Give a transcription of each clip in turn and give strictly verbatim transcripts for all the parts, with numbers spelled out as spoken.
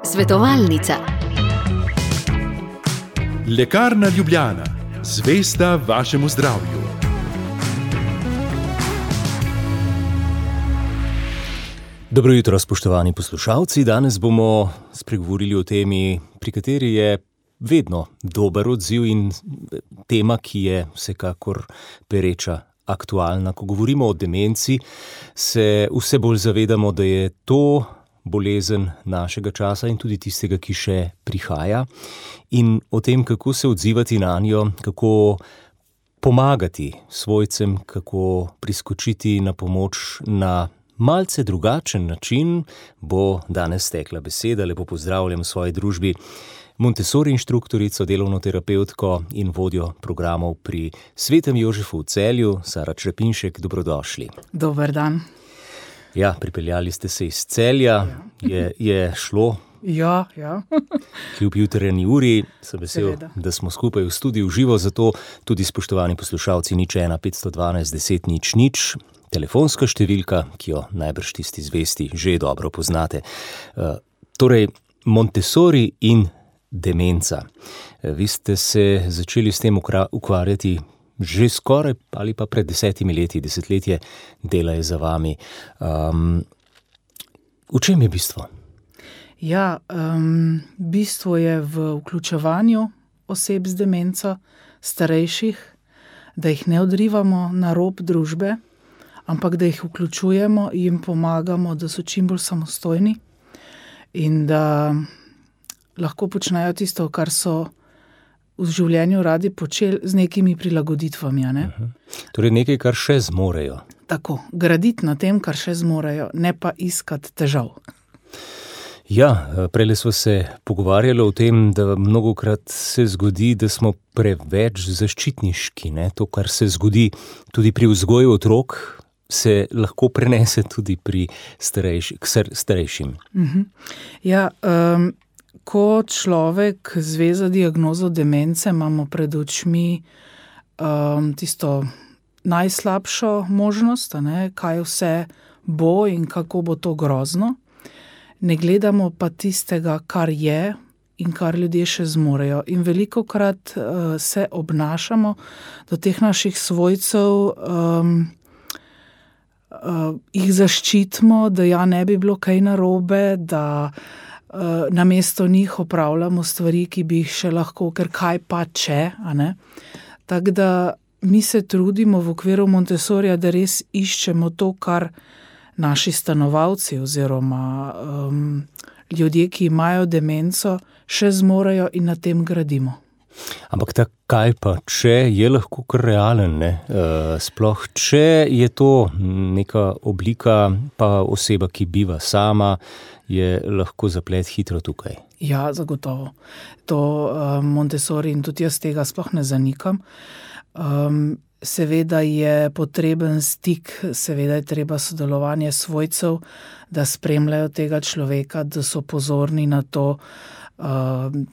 Svetovalnica. Lekarna Ljubljana, zvesta vašemu zdravju. Dobro jutro, spoštovani poslušalci. Danes bomo spregovorili o temi, pri kateri je vedno dober odziv in tema, ki je vsekakor pereča, aktualna. Ko govorimo o demenci, se vse bolj zavedamo, da je to bolezen našega časa in tudi tistega, ki še prihaja. In o tem, kako se odzivati na njo, kako pomagati svojcem, kako priskočiti na pomoč na malce drugačen način, bo danes tekla beseda. Lepo pozdravljam v svoji družbi Montessori inštruktorico, delovno terapevtko in vodjo programov pri Svetem Jožefu v Celju, Sara Črepinšek. Dobrodošli. Dober dan. Ja, pripeljali ste se iz Celja, je, je šlo. Ja, ja. Kljub jutranji uri, sem vesel, Seveda. Da smo skupaj v studiu živo, zato tudi spoštovani poslušalci nič ena petsto dvanajst deset nič nič, telefonska številka, ki jo najbrž tisti zvesti že dobro poznate. Uh, torej, Montessori in demenca. Vi ste se začeli s tem ukvarjati že skoraj ali pa pred desetimi leti, desetletje dela je za vami. Um, v čem je bistvo? Ja, um, bistvo je v vključevanju oseb z demenco, starejših, da jih ne odrivamo na rob družbe, ampak da jih vključujemo, jim pomagamo, da so čim bolj samostojni in da lahko počnejo tisto, kar so v življenju radi počeli z nekimi prilagoditvami. Ne? Uh-huh. Torej nekaj, kar še zmorejo. Tako, graditi na tem, kar še zmorejo, ne pa iskati težav. Ja, prejle smo se pogovarjali o tem, da mnogokrat se zgodi, da smo preveč zaščitniški. Ne? To, kar se zgodi tudi pri vzgoju otrok, se lahko prenese tudi pri starejši, starejšim. Uh-huh. Ja, um, ko človek zve za diagnozo demence, imamo pred očmi um, tisto najslabšo možnost, ne, kaj vse bo in kako bo to grozno. Ne gledamo pa tistega, kar je in kar ljudje še zmorejo. In velikokrat uh, se obnašamo do teh naših svojcev, um, uh, jih zaščitimo, da ja ne bi bilo kaj narobe, da Uh, namesto njih opravljamo stvari, ki bi jih še lahko, ker kaj pa če, a ne? Tako da mi se trudimo v okviru Montessorija, da res iščemo to, kar naši stanovalci oziroma um, ljudje, ki imajo demenco, še zmorejo in na tem gradimo. Ampak ta kaj pa če je lahko kar realen, ne? Uh, sploh če je to neka oblika, pa oseba, ki biva sama, je lahko zaplet hitro tukaj. Ja, zagotovo. To um, Montessori in tudi jaz tega sploh ne zanikam. Um, seveda je potreben stik, seveda je treba sodelovanje svojcev, da spremljajo tega človeka, da so pozorni na to, um,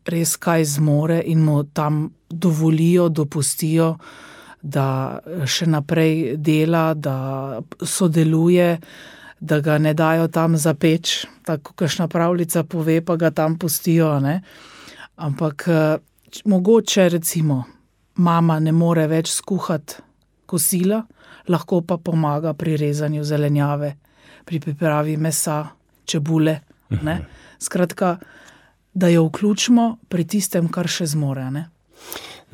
res kaj zmore in mu tam dovolijo, dopustijo, da še naprej dela, da sodeluje, da ga ne dajo tam za peč, tako kakšna pravljica pove, pa ga tam pustijo, ne. Ampak mogoče recimo mama ne more več skuhati kosila, lahko pa pomaga pri rezanju zelenjave, pri pripravi mesa, čebule, ne. Skratka, da jo vključimo pri tistem, kar še zmore, ne.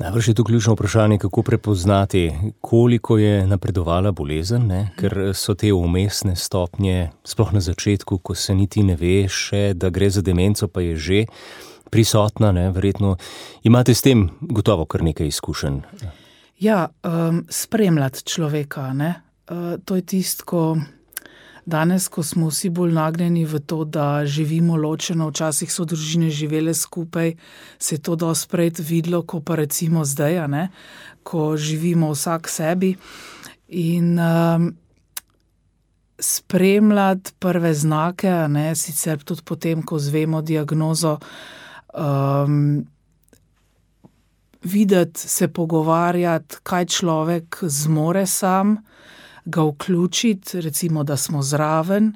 Najbrž je tu ključno vprašanje, kako prepoznati, koliko je napredovala bolezen, ne? Ker so te umestne stopnje, sploh na začetku, ko se niti ne ve še, da gre za demenco, pa je že prisotna, ne? Verjetno imate s tem gotovo kar nekaj izkušenj. Ja, um, spremljati človeka, ne? Uh, to je tisto, ko danes, ko smo vsi bolj nagnjeni v to, da živimo ločeno, včasih so družine živele skupaj, se je to dosti prej videlo, ko pa recimo zdaj, ne, ko živimo vsak sebi. In um, spremljati prve znake, ne, sicer tudi potem, ko zvemo diagnozo, um, videti, se pogovarjati, kaj človek zmore sam, ga vključiti, recimo, da smo zraven,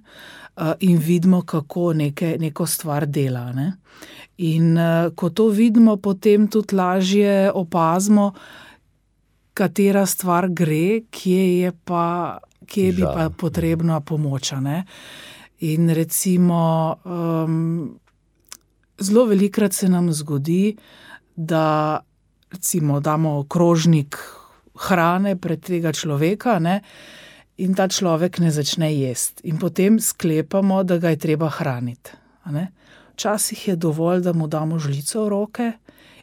in vidimo, kako neke, neko stvar dela. Ne? In ko to vidimo, potem tudi lažje opazimo, katera stvar gre, kje je pa, kje bi pa potrebna pomoč. Ne? In recimo, um, zelo velikrat se nam zgodi, da recimo damo krožnik hrane pred tega človeka, ne, in ta človek ne začne jesti. In potem sklepamo, da ga je treba hraniti. Ne. Včasih je dovolj, da mu damo žlico v roke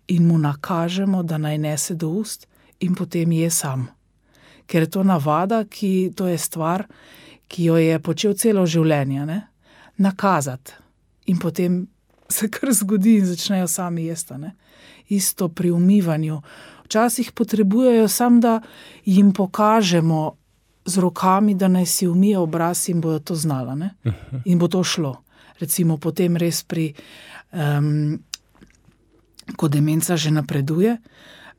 in mu nakažemo, da naj nese do ust in potem je sam. Ker je to navada, ki, to je stvar, ki jo je počel celo življenje, ne, nakazati. In potem se kar zgodi in začnejo sami jesti. Ne. Isto pri umivanju. Včasih potrebujejo samo, da jim pokažemo z rokami, da naj si umije obraz in bodo to znala. Ne? In bo to šlo. Recimo potem res pri, um, ko demenca že napreduje,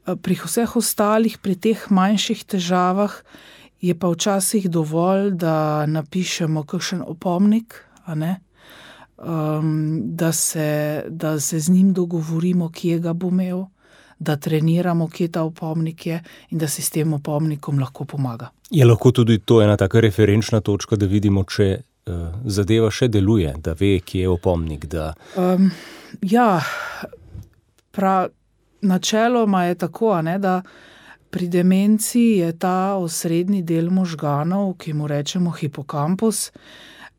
pri vseh ostalih, pri teh manjših težavah je pa včasih dovolj, da napišemo kakšen opomnik, a ne? Um, da, se, da se z njim dogovorimo, kje ga bo imel, da treniramo, kje ta opomnik je in da si s tem opomnikom lahko pomaga. Je lahko tudi to ena taka referenčna točka, da vidimo, če uh, zadeva še deluje, da ve, kje je opomnik? Da... Um, ja, prav, načeloma je tako, a ne, da pri demenci je ta osrednji del možganov, ki mu rečemo hipokampus,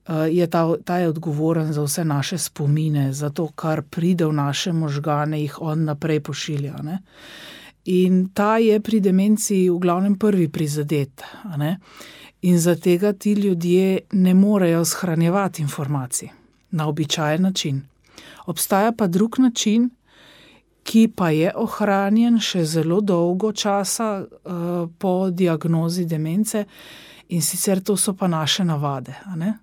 Je ta, ta je odgovoren za vse naše spomine, za to, kar pride v naše možgane, jih on naprej pošilja. Ne? In ta je pri demenciji v glavnem prvi prizadet. Ne? In za tega ti ljudje ne morejo shranjevati informacij na običajen način. Obstaja pa drug način, ki pa je ohranjen še zelo dolgo časa uh, po diagnozi demence, in sicer to so pa naše navade. A ne?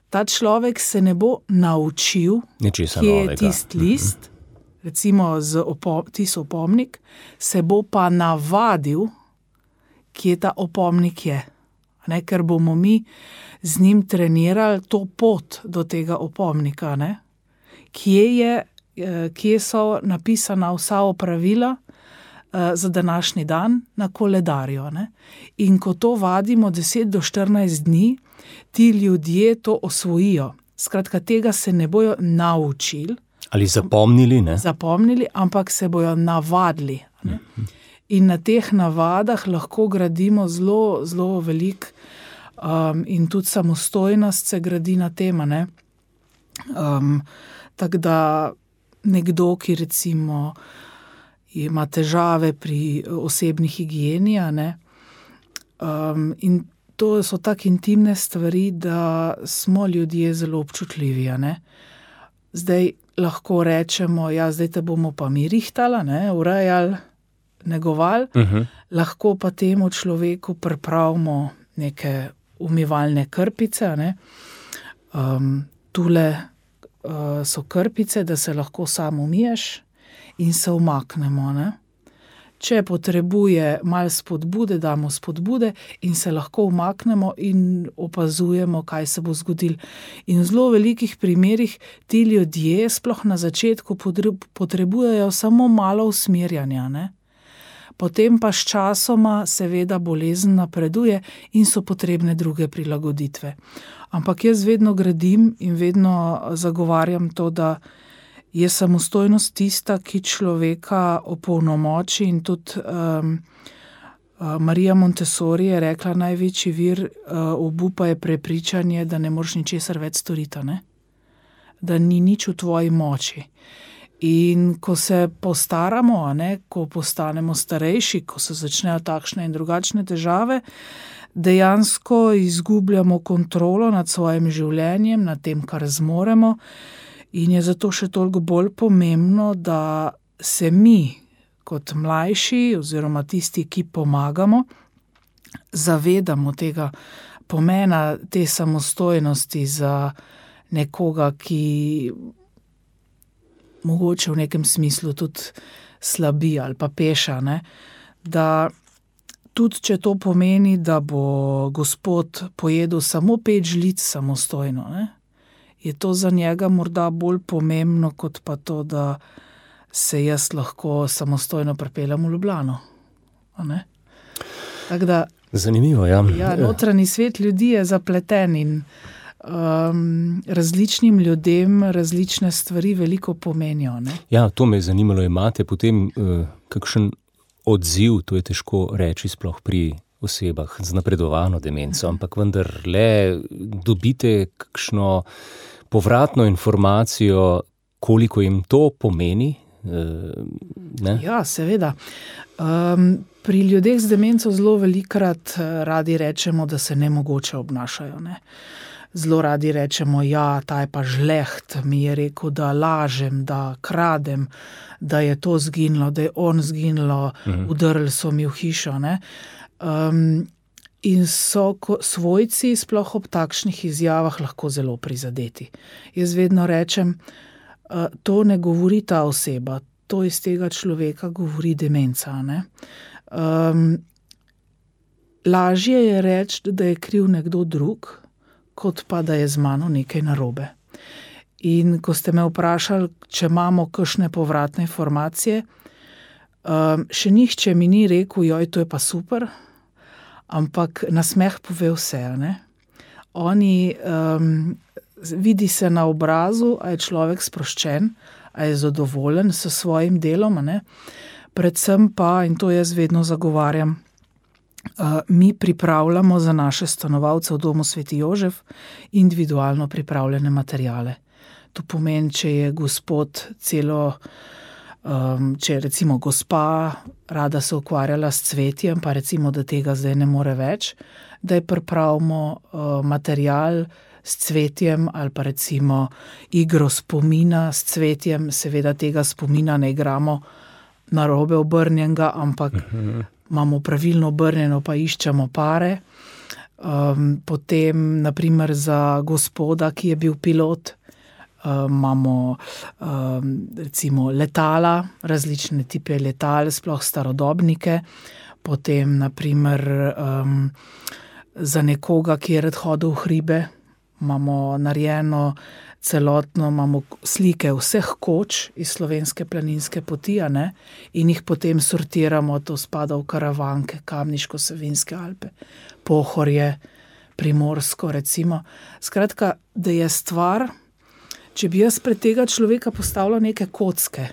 Ta človek se ne bo naučil, Nečesa kje je novega. tisti list, recimo z opom, tisti opomnik, se bo pa navadil, kje ta opomnik je. Ne? Ker bomo mi z njim trenirali to pot do tega opomnika. Ne? Kje je, kje so napisana vsa opravila za današnji dan na koledarju. Ne? In ko to vadimo deset do štirinajst dni, ti ljudje to osvojijo. Skratka, tega se ne bojo naučili. Ali zapomnili, ne? Zapomnili, ampak se bojo navadili. Ne? In na teh navadah lahko gradimo zelo, zelo veliko um, in tudi samostojnost se gradi na tem. Ne? Um, tako da nekdo, ki recimo ima težave pri osebni higieni, ne? Um, in to so tako intimne stvari, da smo ljudje zelo občutljivi. Ne? Zdaj lahko rečemo, ja, zdaj te bomo pa mi rihtala, ne? Urejali, negovali, uh-huh. Lahko pa temu človeku pripravimo neke umivalne krpice. Ne? Um, tule uh, so krpice, da se lahko sam umiješ in se umaknemo. Ne? Če potrebuje malo spodbude, damo spodbude in se lahko umaknemo in opazujemo, kaj se bo zgodilo. In v zelo velikih primerih ti ljudje sploh na začetku potrebujejo samo malo usmerjanja. Ne? Potem pa s časoma seveda bolezen napreduje in so potrebne druge prilagoditve. Ampak jaz vedno gradim in vedno zagovarjam to, da je samostojnost tista, ki človeka opolnomoči, in tudi um, Marija Montessori je rekla, največji vir uh, obupa je prepričanje, da ne moreš ničesar več storiti, ne? Da ni nič v tvoji moči. In ko se postaramo, ne? Ko postanemo starejši, ko se začnejo takšne in drugačne težave, dejansko izgubljamo kontrolo nad svojim življenjem, nad tem, kar zmoremo. In je zato še toliko bolj pomembno, da se mi, kot mlajši oziroma tisti, ki pomagamo, zavedamo tega pomena te samostojnosti za nekoga, ki mogoče v nekem smislu tudi slabi ali pa peša. Ne? Da tudi, če to pomeni, da bo gospod pojedel samo pet žlic samostojno, ne? je to za njega morda bolj pomembno, kot pa to, da se jaz lahko samostojno pripeljem v Ljubljano. Tako da, zanimivo, ja. Ja, notranji svet ljudi je zapleten in um, različnim ljudem različne stvari veliko pomenijo. Ne? Ja, to me je zanimalo. Imate potem uh, kakšen odziv, to je težko reči sploh pri osebah z napredovano demenco, ampak vendar le dobite kakšno povratno informacijo, koliko jim to pomeni? Ne? Ja, seveda. Um, pri ljudeh z demenco zelo velikokrat radi rečemo, da se nemogoče obnašajo. Ne? Zelo radi rečemo, ja, ta je pa žleht, mi je rekel, da lažem, da kradem, da je to zginilo, da je on zginilo, mhm. Udrli so mi v hišo. Ne? Um, in so ko, svojci sploh ob takšnih izjavah lahko zelo prizadeti. Jaz vedno rečem, uh, to ne govori ta oseba, to iz tega človeka govori demenca. Ne? Um, lažje je reči, da je kriv nekdo drug, kot pa da je z mano nekaj narobe. In ko ste me vprašali, če imamo kakšne povratne informacije, um, še nihče mi ni rekel, joj, to je pa super, ampak nasmeh pove vse. Ne? Oni, um, vidi se na obrazu, a je človek sproščen, a je zadovoljen s svojim delom, ne? Predvsem pa, in to jaz vedno zagovarjam, Uh, mi pripravljamo za naše stanovalce v domu Sveti Jožef individualno pripravljene materijale. To pomeni, če je gospod celo, um, če je recimo gospa rada se ukvarjala s cvetjem, pa recimo, da tega zdaj ne more več, da je pripravimo uh, materijal s cvetjem ali pa recimo igro spomina s cvetjem, seveda tega spomina ne igramo narobe obrnjenega, ampak uh-huh. imamo pravilno obrnjeno, pa iščemo pare. Um, potem, naprimer, za gospoda, ki je bil pilot, um, imamo um, recimo letala, različne tipe letal, sploh starodobnike. Potem, naprimer, um, za nekoga, ki je rad hodil v hribe, imamo narejeno celotno, imamo slike vseh koč iz slovenske planinske poti, ne? In jih potem sortiramo, to spada v Karavanke, Kamniško-Savinjske Alpe, Pohorje, Primorsko recimo. Skratka, da je stvar, če bi jaz pred tega človeka postavila neke kocke,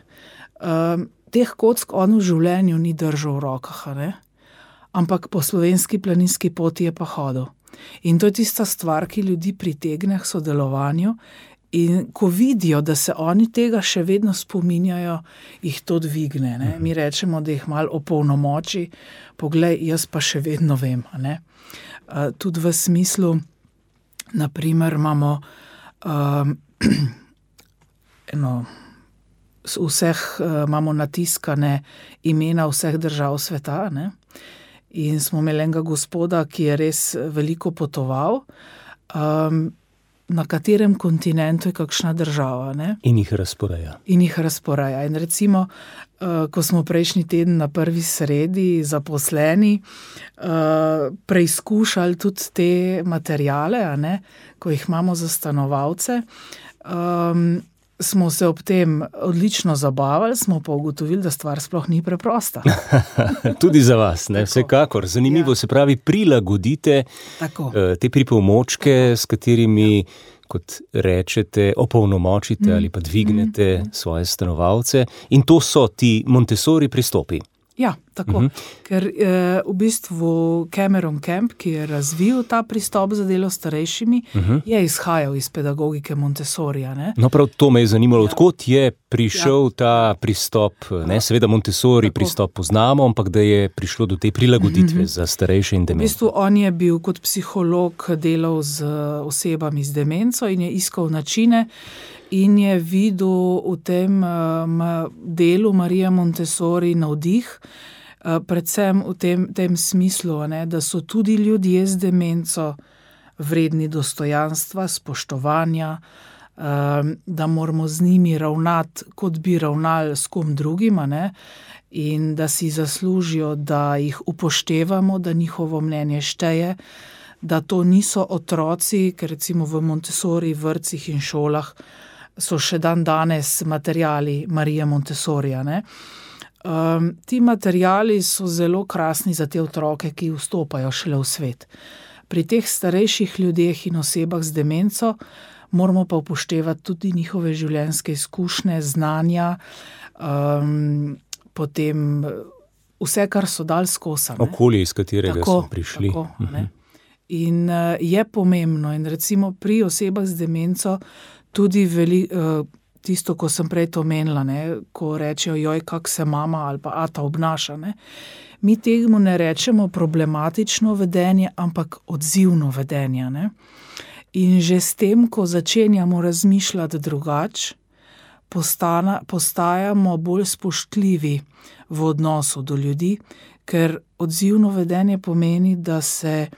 um, teh kock on v življenju ni držal v rokah, ne? Ampak po slovenski planinski poti je pa hodil. In to je tista stvar, ki ljudi pritegne k sodelovanju. In ko vidijo, da se oni tega še vedno spominjajo, jih to dvigne. Ne? Mi rečemo, da jih malo opolnomoči, poglej, jaz pa še vedno vem. Ne? Uh, tudi v smislu, naprimer, imamo um, eno, vseh, uh, imamo natiskane imena vseh držav sveta, ne? In smo imeli enega gospoda, ki je res veliko potoval, um, na katerem kontinentu je kakšna država. Ne? In jih razporeja. In jih razporeja. In recimo, uh, ko smo prejšnji teden na prvi sredi zaposleni, uh, preizkušali tudi te materijale, a ne? Ko jih imamo za stanovalce, um, smo se ob tem odlično zabavali, smo pa ugotovili, da stvar sploh ni preprosta. Tudi za vas, ne? Vsekakor. Zanimivo, ja. Se pravi, prilagodite Tako. te pripomočke, s katerimi, kot rečete, opolnomočite mm. ali pa dvignete mm. svoje stanovalce. In to so ti Montessori pristopi. Ja, tako. Uh-huh. Ker eh, v bistvu Cameron Camp, ki je razvil ta pristop za delo s starejšimi, uh-huh. je izhajal iz pedagogike Montessorija. Ne? No, prav to me je zanimalo, ja. Odkot je prišel ja. ta pristop, ne, seveda Montessori tako. Pristop poznamo, ampak da je prišlo do te prilagoditve uh-huh. za starejše in dementne. V bistvu on je bil kot psiholog delal z osebami z demenco in je iskal načine, in je videl v tem um, delu Marija Montessori navdih, uh, predvsem v tem, tem smislu, ne, da so tudi ljudje z demenco vredni dostojanstva, spoštovanja, um, da moramo z njimi ravnati, kot bi ravnali s kom drugim, ne, in da si zaslužijo, da jih upoštevamo, da njihovo mnenje šteje, da to niso otroci, ker recimo v Montessori vrtcih in šolah so še dan danes materijali Marije Montessorija, ne. Um, ti materijali so zelo krasni za te otroke, ki vstopajo šele v svet. Pri teh starejših ljudeh in osebah z demenco moramo pa upoštevati tudi njihove življenjske izkušnje, znanja, um, potem vse, kar so dali skozi. Okolje, iz katerega tako, so prišli. Tako, ne. In uh, je pomembno, in recimo pri osebah z demenco tudi veli, uh, tisto, ko sem prej to omenila, ne, ko rečejo, joj, kak se mama ali pa ata obnaša, ne. Mi temu ne rečemo problematično vedenje, ampak odzivno vedenje, ne. In že s tem, ko začenjamo razmišljati drugače, postana, postajamo bolj spoštljivi v odnosu do ljudi, ker odzivno vedenje pomeni, da se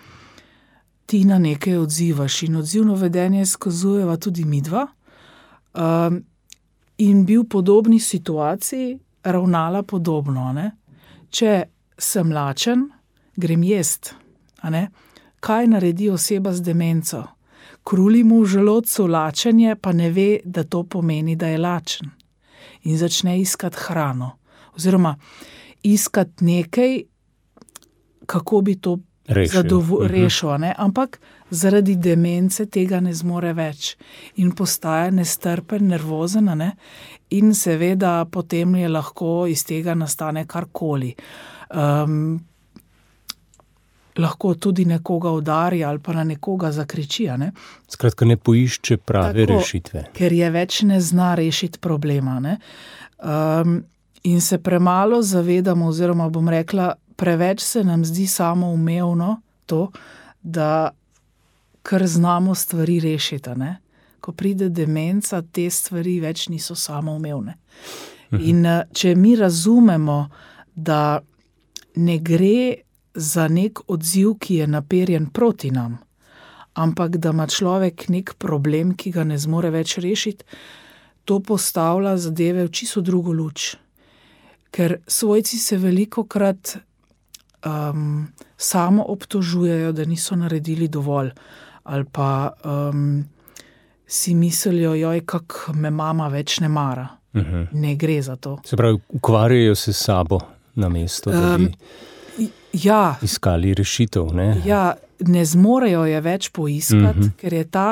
ti na nekaj odzivaš in odzivno vedenje skazujeva tudi midva, um, in bi v podobni situaciji ravnala podobno, ne. Če sem lačen, grem jest, a ne. Kaj naredi oseba z demenco? Kruli mu v želodcu lačenje, pa ne ve, da to pomeni, da je lačen. In začne iskati hrano. Oziroma iskati nekaj, kako bi to zadovo- rešil, ne? Ampak zaradi demence tega ne zmore več. In postaja nestrpen, nervozen, ne? In seveda potem je lahko iz tega nastane karkoli. Um, lahko tudi nekoga udari ali pa na nekoga zakriči, ne? Skratka, ne poišče prave Tako, rešitve. Ker je več ne zna rešiti problema, ne? Um, in se premalo zavedamo, oziroma bom rekla, preveč se nam zdi samoumevno to, da kar znamo stvari rešiti, ne? Ko pride demenca, te stvari več niso samoumevne. In če mi razumemo, da ne gre za nek odziv, ki je naperjen proti nam, ampak da ima človek nek problem, ki ga ne zmore več rešiti, to postavlja zadeve v čisto drugo luč. Ker svojci se velikokrat um, samo obtožujejo, da niso naredili dovolj, ali pa um, si mislijo, joj, kak me mama več ne mara. Uh-huh. Ne gre za to. Se pravi, ukvarjajo se s sabo namesto, da bi um, ja, iskali rešitev, ne? Ja, ne zmorejo je več poiskati, uh-huh. ker je ta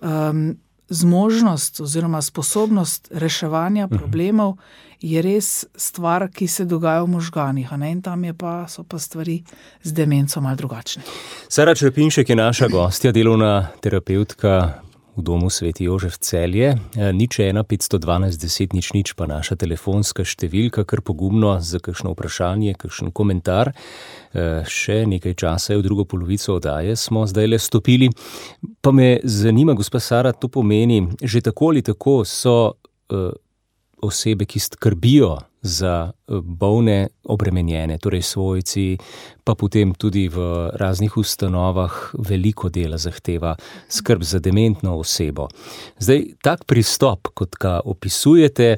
um, zmožnost oziroma sposobnost reševanja problemov je res stvar, ki se dogaja v možganih, a ne? In tam je pa, so pa stvari z demenco malo drugačne. Sara Črepinšek je naša gostja, delovna terapevtka v domu Sveti Jožef Celje. Nič ena petsto dvanajst deset nič nič pa naša telefonska številka, kar pogumno za kakšno vprašanje, kakšen komentar. Še nekaj časa je v drugo polovico oddaje, smo zdajle stopili. Pa me zanima, gospa Sara, to pomeni, že tako ali tako so uh, osebe, ki skrbijo za bolne obremenjene, torej svojci, pa potem tudi v raznih ustanovah veliko dela zahteva skrb za dementno osebo. Zdaj, tak pristop, kot ga opisujete,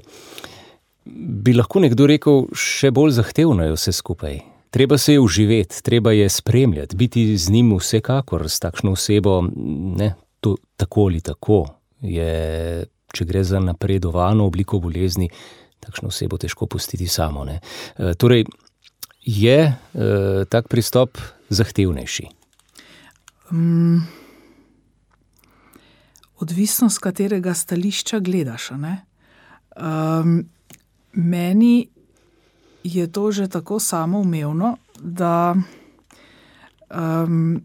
bi lahko nekdo rekel, še bolj zahtevno je vse skupaj. Treba se je uživeti, treba je spremljati, biti z njim vsekakor, s takšno osebo, ne, to tako ali tako je, če gre za napredovano obliko bolezni, takšno osebo težko pustiti samo, ne. E, torej, je e, tak pristop zahtevnejši? Um, odvisno, z katerega stališča gledaš, ne. Um, meni je to že tako samoumevno, da um,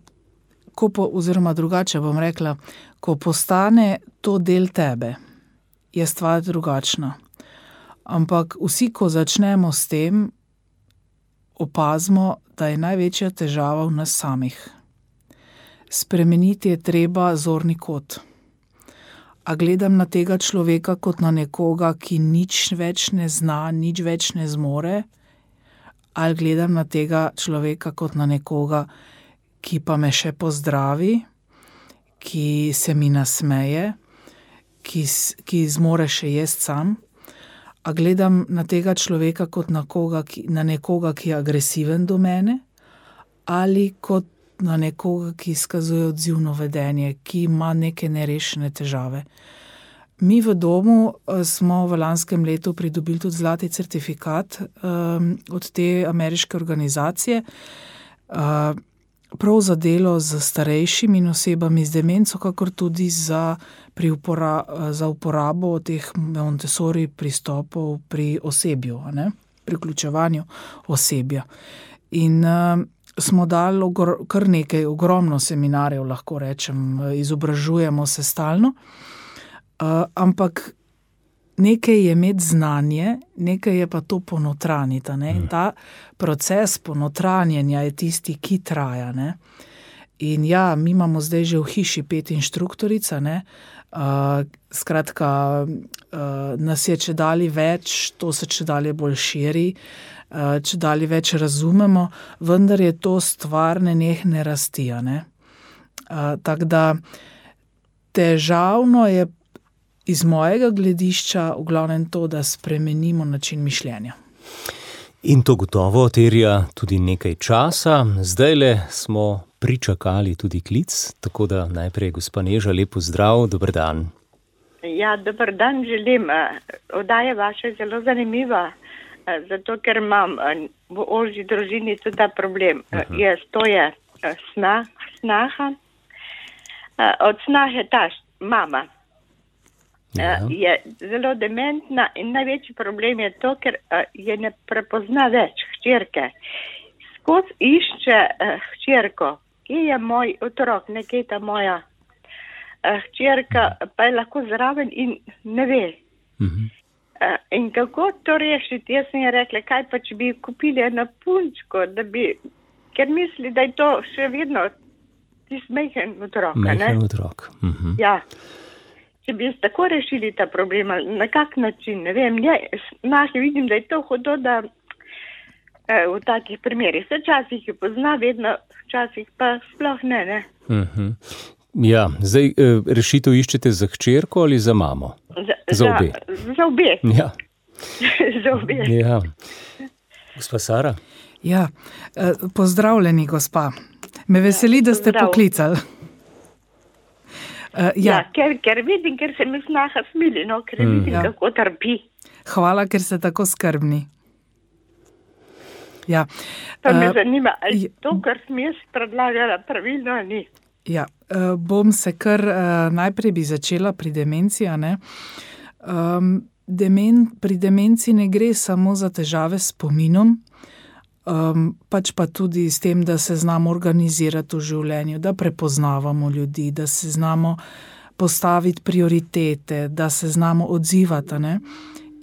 ko po, oziroma drugače bom rekla, ko postane to del tebe, je stvar drugačna. Ampak vsi, ko začnemo s tem, opazimo, da je največja težava v nas samih. Spremeniti je treba zorni kot. A gledam na tega človeka kot na nekoga, ki nič več ne zna, nič več ne zmore, ali gledam na tega človeka kot na nekoga, ki pa me še pozdravi, ki se mi nasmeje, ki, ki zmore še jesti sam. A gledam na tega človeka kot na, koga, ki, na nekoga, ki je agresiven do mene, ali kot na nekoga, ki izkazuje odzivno vedenje, ki ima neke nerešene težave. Mi v domu smo v lanskem letu pridobili tudi zlati certifikat um, od te ameriške organizacije, uh, prav za delo z starejšimi in osebami z demenco, kakor tudi za, pri upora, za uporabo teh Montessori pristopov pri osebju, ne? Pri vključevanju osebja. In uh, smo dali ogr, kar nekaj, ogromno seminarjev, lahko rečem, izobražujemo se stalno, uh, ampak nekaj je imeti znanje, nekaj je pa to ponotranjiti. Ne? In ta proces ponotranjenja je tisti, ki traja. Ne? In ja, mi imamo zdaj že v hiši pet inštruktorica, ne? Uh, skratka, uh, nas je čedalje več, to se čedalje bolj širi, uh, čedalje več razumemo, vendar je to stvar nenehne rasti. Ne? Uh, tako da težavno je iz mojega gledišča v glavnem to, da spremenimo način mišljenja. In to gotovo terja tudi nekaj časa. Zdajle smo pričakali tudi klic, tako da najprej gospa Neža, lep pozdrav, dober dan. Ja, dober dan želim. Oddaja vaša je zelo zanimiva, zato ker imam v ožji družini tudi ta problem. Uh-huh. Jaz, to je snah, snaha. Od snahe ta mama. Ja. Je zelo dementna in največji problem je to, ker je ne prepozna več hčerke. Skozi išče hčerko, kje je moj otrok, nekje ta moja hčerka, pa je lahko zraven in ne ve. Uh-huh. In kako to rešiti? Jaz sem je rekla, kaj pa, če bi kupili eno punčko, da bi, ker misli, da je to še vedno tisti mehen otrok. Mehen otrok. Uh-huh. Ja. Če bi jaz tako rešili ta problem, na kak način, ne vem, ja, naši vidim, da je to hodo, da eh, v takih primerih se časih je pozna, vedno časih pa sploh ne, ne. Uh-huh. Ja, zdaj eh, rešitev iščete za hčerko ali za mamo? Za, za obe? Za, za obe. Ja. za obe. Ja. Gospa Sara? Ja, eh, pozdravljeni, gospa. Me veseli, da ste Pozdrav. poklicali. Uh, ja, ja ker, ker vidim, ker se mi snaha smili, no, ker mm. vidim, ja. kako trpi. Hvala, ker ste tako skrbni. Ja. Pa me uh, zanima, ali uh, to, kar sem jaz predlagala, pravilno ali ni? Ja, uh, bom se kar, uh, najprej bi začela pri demenciji, ne. Um, demen, pri demenciji ne gre samo za težave s spominom, Um, pač pa tudi s tem, da se znamo organizirati v življenju, da prepoznavamo ljudi, da se znamo postaviti prioritete, da se znamo odzivati. Ne?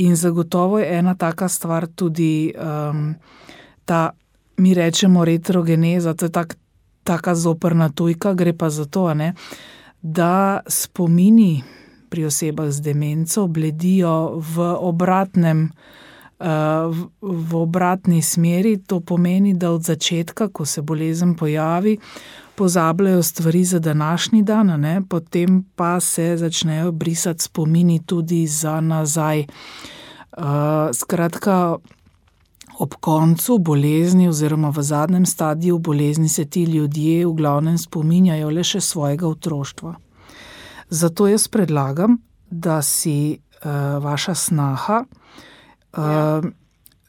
In zagotovo je ena taka stvar tudi um, ta, mi rečemo retrogeneza, to je tak, taka zoprna tujka, gre pa za to, ne? Da spomini pri osebah z demenco bledijo v obratnem V, v obratni smeri. To pomeni, da od začetka, ko se bolezen pojavi, pozabljajo stvari za današnji dan, ne? Potem pa se začnejo brisati spomini tudi za nazaj. Uh, skratka, ob koncu bolezni oziroma v zadnjem stadiju bolezni se ti ljudje v glavnem spominjajo le še svojega otroštva. Zato jaz predlagam, da si uh, vaša snaha Ja.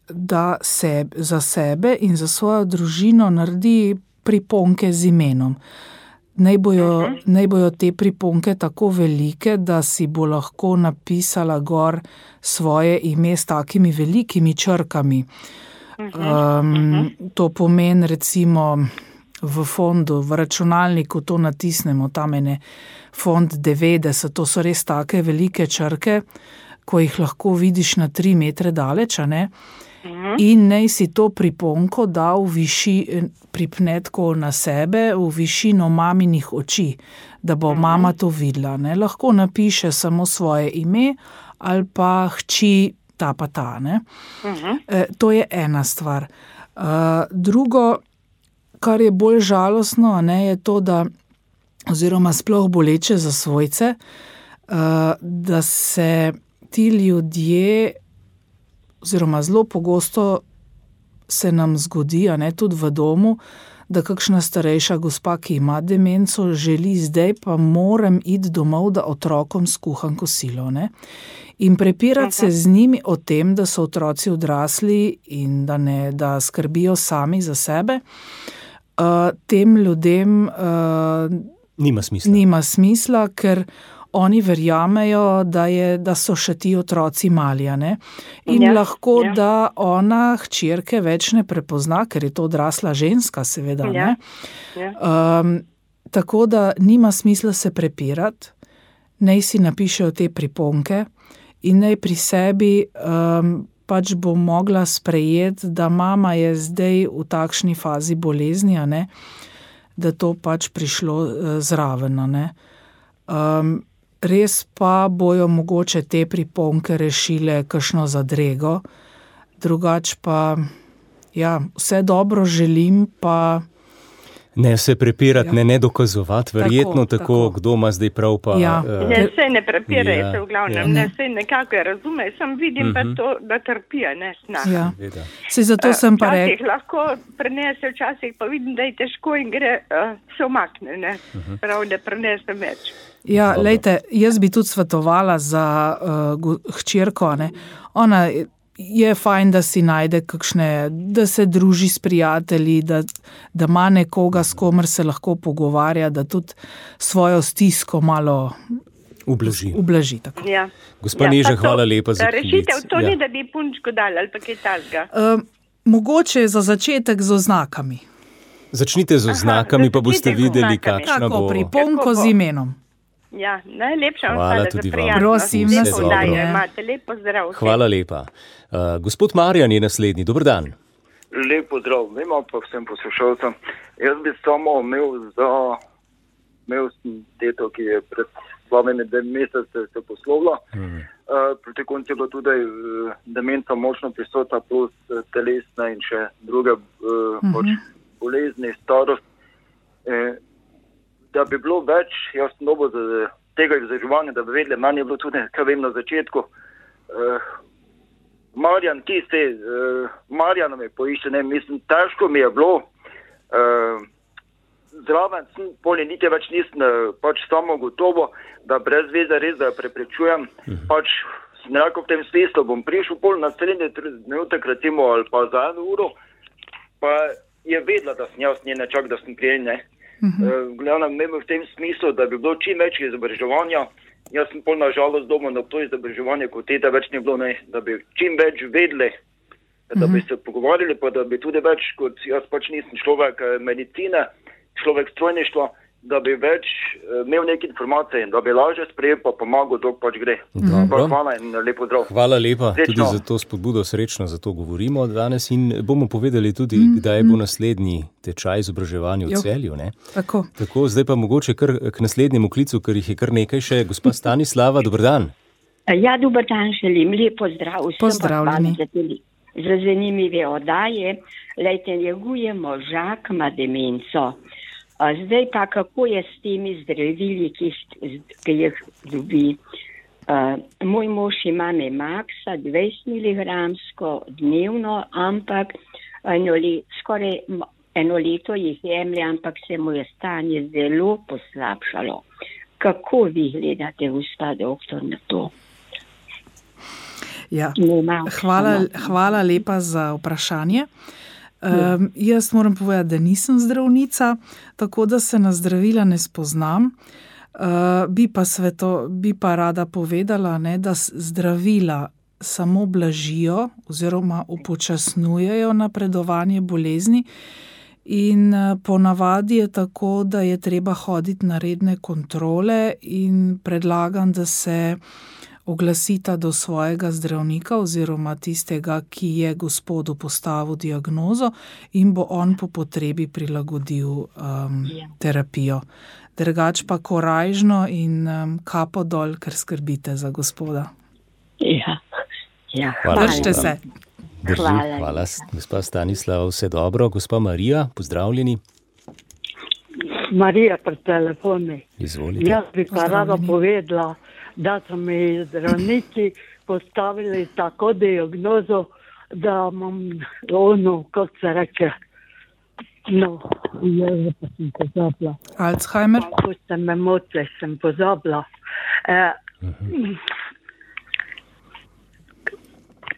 da se za sebe in za svojo družino naredi priponke z imenom. Naj bojo, uh-huh. naj bojo te priponke tako velike, da si bo lahko napisala gor svoje ime s takimi velikimi črkami. Uh-huh. Um, uh-huh. To pomeni recimo v fondu, v računalniku to natisnemo, tam je fond devetdeset, to so res take velike črke, ko jih lahko vidiš na tri metre daleč, ne? Uh-huh. In naj si to priponko da v viši, pripne tako na sebe, v višino maminih oči, da bo uh-huh. mama to videla. Ne? Lahko napiše samo svoje ime ali pa hči ta pa ta. Ne? Uh-huh. E, to je ena stvar. Uh, drugo, kar je bolj žalostno, ne, je to, da, oziroma sploh boleče za svojce, uh, da se ti ljudje, oziroma zelo pogosto se nam zgodi, a ne, tudi v domu, da kakšna starejša gospa, ki ima demenco, želi zdaj pa moram iti domov, da otrokom skuham kosilo, ne. In prepirati se z njimi o tem, da so otroci odrasli in da ne, da skrbijo sami za sebe, uh, tem ljudem uh, nima smisla. Nima smisla, ker oni verjamejo, da, je, da so še ti otroci mali, ne? In ja, lahko, ja. da ona hčerke več ne prepozna, ker je to odrasla ženska, seveda, ja. ne? Ja. Um, tako da nima smisla se prepirati, naj si napišejo te priponke in naj pri sebi um, pač bo mogla sprejeti, da mama je zdaj v takšni fazi bolezni, ne? Da to pač prišlo uh, zraven, ne? Um, res pa bojo mogoče te priponke rešile kakšno zadrego, drugač pa, ja, vse dobro želim, pa... Ne se prepirati, ja. ne, ne dokazovati, verjetno tako, tako, tako, kdo ima zdaj prav pa... Ja. Uh, ne, sej ne prepiraj ja, se v glavnem, ja. ne, sej nekako razume, sem vidim uh-huh. pa to, da trpija, ne, snak. Ja. Sej zato sem pa rekel... Včasih lahko prenese, včasih pa vidim, da je težko in gre, uh, se omakne, ne, uh-huh. prav, da prenese več. Ja, Dobro. lejte, jaz bi tudi svetovala za uh, hčerko, ne. Ona je fajn, da si najde kakšne, da se druži s prijatelji, da, da ima nekoga, s komer se lahko pogovarja, da tudi svojo stisko malo ublaži. ublaži tako. Ja. Gospa ja, Neža, hvala lepa za klic. Rešitev to ja. ni, da bi punčko dali ali pa kaj takega. Uh, mogoče za začetek z oznakami. Začnite z oznakami, Aha, pa boste videli, kakšna Tako, bo. priponko z imenom. Ja, najlepša hvala vam tudi za vam. Prosim, lepo dobro. daje, imate lepo zdrav. Hvala lepa. Uh, gospod Marjan je naslednji, dober dan. Lepo zdrav, ima pa vsem poslušalcem. Jaz bi samo imel za, imel sem teto, ki je pred slabimi dvemi mesece se poslovila. Hmm. Uh, proti koncu je bila tudi uh, demenca močno prisotna, plus uh, telesna in še druge uh, hmm. pač bolezni, starost. Uh, da bi bilo več, jaz sem dobil za tega izobraževanja, da bi vedeli, meni je bilo tudi, kaj vem na začetku, uh, Marjan, ti ste, uh, Marjan me poišče, ne, mislim, težko mi je bilo, uh, zraven sem, polje niti več nisem uh, pač samo gotovo, da brez veze res, da jo preprečujem, uh-huh. pač sem rekel v tem smislu, bom prišel pol na srednje minutek, recimo, ali pa za eno uro, pa je vedela, da sem jaz njene čak, da sem prijen, ne. Uh-huh. Glavno, v tem smislu, da bi bilo čim več izobraževanja. Jaz sem pol na žalost doma na to izobraževanje, kot teta več ni bilo, ne, da bi čim več vedeli, da uh-huh. bi se pogovarjali, pa da bi tudi več, kot jaz pač nisem človek medicine, človek strojništva, da bi več imel neke informacije, da bi lažje sprejel, pa pomagal, dok pač gre. Dobro. Hvala in lepo zdrav. Hvala lepa, Srečno. Tudi za to spodbudo, srečno, za to govorimo danes in bomo povedali tudi, mm, kdaj bo naslednji tečaj izobraževanja v Celju. Ne? Tako. Tako, zdaj pa mogoče kar k naslednjemu klicu, ker jih je kar nekaj še. Gospa Stanislava, dober dan. Ja, dober dan, želim lepo zdrav. Pozdravljeni. Za zanimive oddaje. Lejte, njeguje možak, ima demenco. Zdaj pa, kako je s temi zdravili, ki, ki jih dobi. Uh, moj mož ima Memaxa dvajset miligramsko dnevno, ampak eno le, skoraj eno leto jih jemlje, ampak se mu je stanje zelo poslabšalo. Kako vi gledate, gospa doktor, na to? Ja. Hvala, hvala lepa za vprašanje. Um, jaz moram povedati, da nisem zdravnica, tako da se na zdravila ne spoznam. Uh, bi, pa sveto, bi pa rada povedala, ne, da zdravila samo blažijo oziroma upočasnjujejo napredovanje bolezni in uh, ponavadi je tako, da je treba hoditi na redne kontrole in predlagam, da se oglasita do svojega zdravnika oziroma tistega, ki je gospodu postavil diagnozo in bo on po potrebi prilagodil um, terapijo. Drugač pa korajžno in um, kapo dol, ker skrbite za gospoda. Ja, ja. Hvala. Držite se. Drži. Hvala. Hvala, gospa Stanislava, vse dobro. Gospa Marija, pozdravljeni. Marija pri telefoni. Izvolite. Jaz bi pa rada povedala, da so mi zdravnici postavili tako diagnozo, da imam ono, kako se reče, No, jaz pa sem pozabila. Alzheimer? Ko ste me motili, sem pozabila. Uh, uh-huh.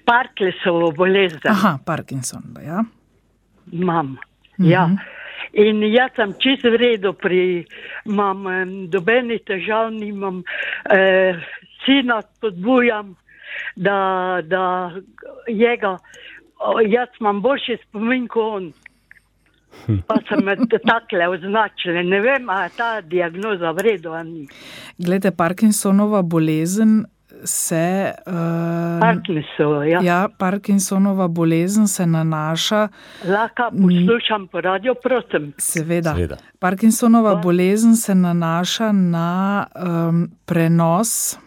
Parkinsonovo bolezen. Aha, Parkinson, ja. Imam, uh-huh. ja. In jaz sem čisto v redu, pri, imam dobeni težav, nimam, eh, sina spodbujam, da, da njega, jaz imam boljši spomin kot on. Pa sem me takle označili, ne vem, a je ta diagnoza v redu, a ni. Glede, Parkinsonova bolezen se... Uh, Parkinson, ja. Ja, Parkinsonova bolezen se nanaša... Lahko poslušam po radio, prosim. Seveda. Seveda. Parkinsonova pa? bolezen se nanaša na um, prenos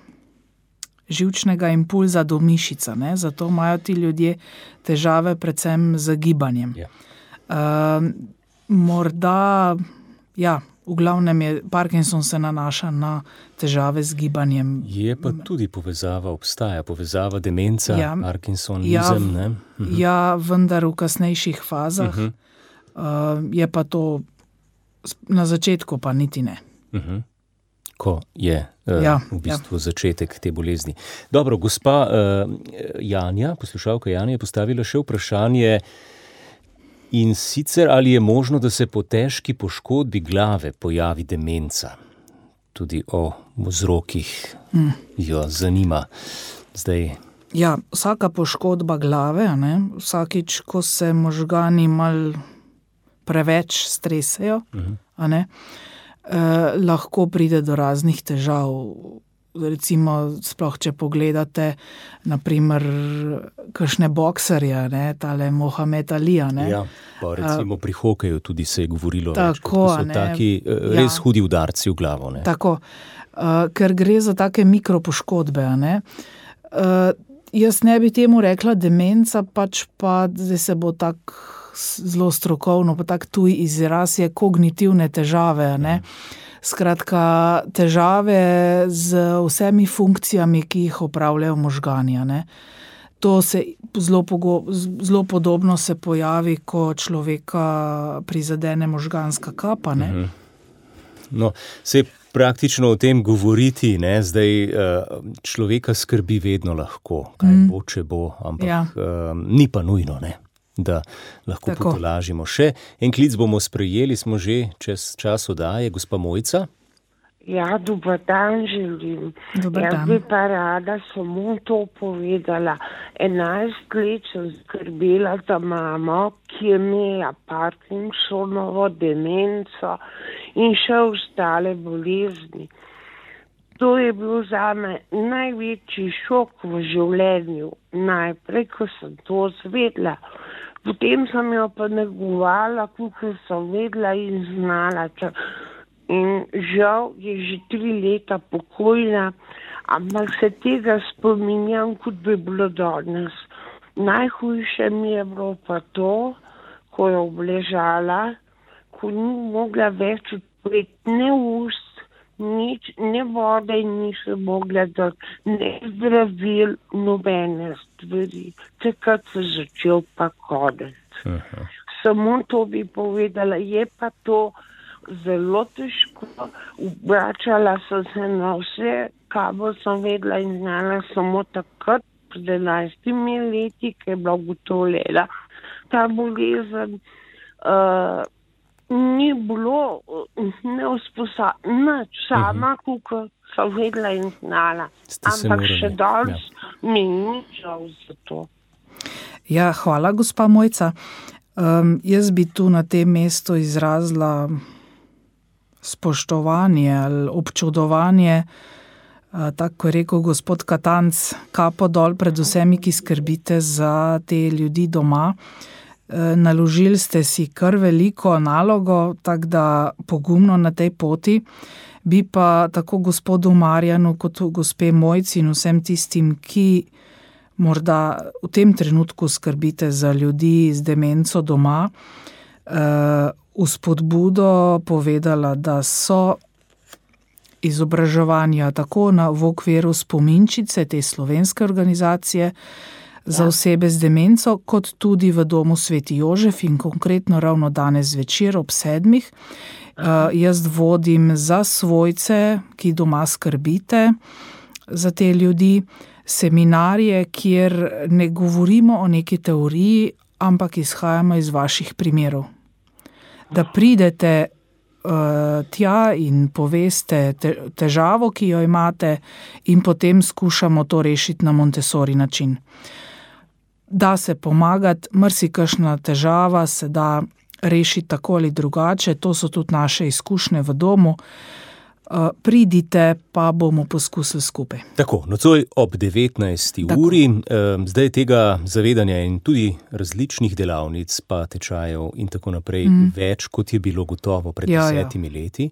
živčnega impulza do mišica, ne? Zato imajo ti ljudje težave predvsem z gibanjem. Ja. Uh, morda, ja, v glavnem je Parkinson se nanaša na težave z gibanjem. Je pa tudi povezava, obstaja povezava demenca, ja, Parkinsonizem, ja, ne? Mhm. Ja, vendar v kasnejših fazah. Mhm. Uh, je pa to na začetku pa niti ne. Mhm. Ko je uh, ja, v bistvu ja. začetek te bolezni. Dobro, gospa uh, Janja, poslušalka Janja, je postavila še vprašanje, in sicer ali je možno, da se po težki poškodbi glave pojavi demenca? Tudi o vzrokih mm. jo zanima. Zdaj... Ja, vsaka poškodba glave, ne, vsakič, ko se možgani mal preveč stresejo, mm-hmm. a ne, eh, lahko pride do raznih težav. Recimo, sploh če pogledate, naprimer, kakšne bokserje, ne, tale Mohamed Alija, ne. Ja, pa recimo pri hokeju tudi se je govorilo tako, več, to so ne, taki res ja. hudi udarci v glavo, ne. Tako, uh, ker gre za take mikropoškodbe, ne. Uh, jaz ne bi temu rekla demenca, pač pa zdaj se bo tak zelo strokovno, pa tak tuj izraz je kognitivne težave, ne. Ja. Skratka, težave z vsemi funkcijami, ki jih opravljajo možgani, ne. To se zelo, pogo, zelo podobno se pojavi, ko človeka prizadene možganska kapa, ne. No, se praktično o tem govoriti, ne, zdaj človeka skrbi vedno lahko, kaj mm. bo, če bo, ampak ja. um, ni pa nujno, ne, da lahko Tako. potolažimo. Še en klic bomo sprejeli, smo že čez čas oddaje, gospa Mojca. Ja, dober dan želim. Dober Jaz dan. bi pa rada samo to povedala. enajst let sem skrbela za mamo, ki je imela Parkinsonovo demenco in še ostale bolezni. To je bil zame največji šok v življenju. Najprej, ko sem to zvedla. Potem sem jo pa negovala, kakor sem vedela in znala. In žal je že tri leta pokojna, ampak se tega spominjam, kot bi bilo danes. Najhujše mi je bilo pa to, ko je obležala, ko ni mogla več odpreti ne ust, nič, ne vode in ni se mogla dati, ne zdravil, nobene stvari. Takrat se začel pa konec. Uh-huh. Samo to bi povedala, je pa to zelo težko. Obračala sem se na vse, kar sem vedela in znala samo takrat, pred enajstimi leti, ki je bila ugotovljena ta bolezen. Uh, ni bilo neusposabljena, sama, uh-huh. kako sem vedela in znala. Ampak še danes ja. mi ni žal za to. Ja, hvala, gospa Mojca. Um, jaz bi tu na tem mestu izrazila spoštovanje ali občudovanje, uh, tako je rekel gospod Katanc, kapo dol pred vsemi, ki skrbite za te ljudi doma. Naložili ste si kar veliko nalogo, tako da pogumno na tej poti. Bi pa tako gospodu Marjanu kot gospe Mojci in vsem tistim, ki morda v tem trenutku skrbite za ljudi z demenco doma, v spodbudo povedala, da so izobraževanja tako na, v okviru Spominčice, te slovenske organizacije, za osebe z demenco, kot tudi v domu Sveti Jožef in konkretno ravno danes zvečer ob sedmih. Uh, jaz vodim za svojce, ki doma skrbite za te ljudi, seminarje, kjer ne govorimo o neki teoriji, ampak izhajamo iz vaših primerov. Da pridete uh, tja in poveste te, težavo, ki jo imate, in potem skušamo to rešiti na Montessori način. Da se pomagati, marsikakšna težava se da rešiti tako ali drugače, to so tudi naše izkušnje v domu. Uh, pridite, pa bomo poskusili skupaj. Tako, nocoj ob devetnajsti uri, eh, zdaj tega zavedanja in tudi različnih delavnic, pa tečajev in tako naprej, mm. več, kot je bilo gotovo pred ja, desetimi ja. leti.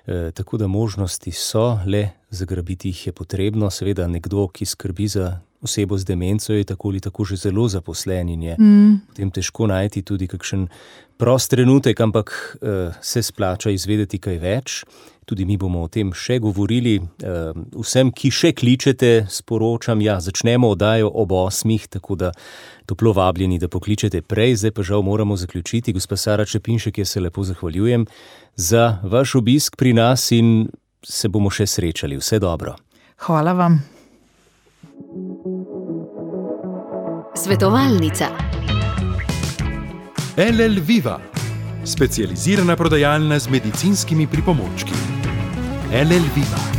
Eh, tako da možnosti so, le zagrabiti jih je potrebno. Seveda nekdo, ki skrbi za osebo z demenco, je tako ali tako že zelo zaposlen in je mm. potem težko najti tudi kakšen prost trenutek, ampak eh, se splača izvedeti kaj več. Tudi mi bomo o tem še govorili. Vsem, ki še kličete, sporočam, ja, začnemo oddajo ob osmih, tako da toplo vabljeni, da pokličete prej. Zdaj pa žal moramo zaključiti. Gospa Sara Čepinšek, jaz se lepo zahvaljujem za vaš obisk pri nas in se bomo še srečali. Vse dobro. Hvala vam. Svetovalnica. L L Viva, specializirana prodajalna z medicinskimi pripomočki. L L Viva.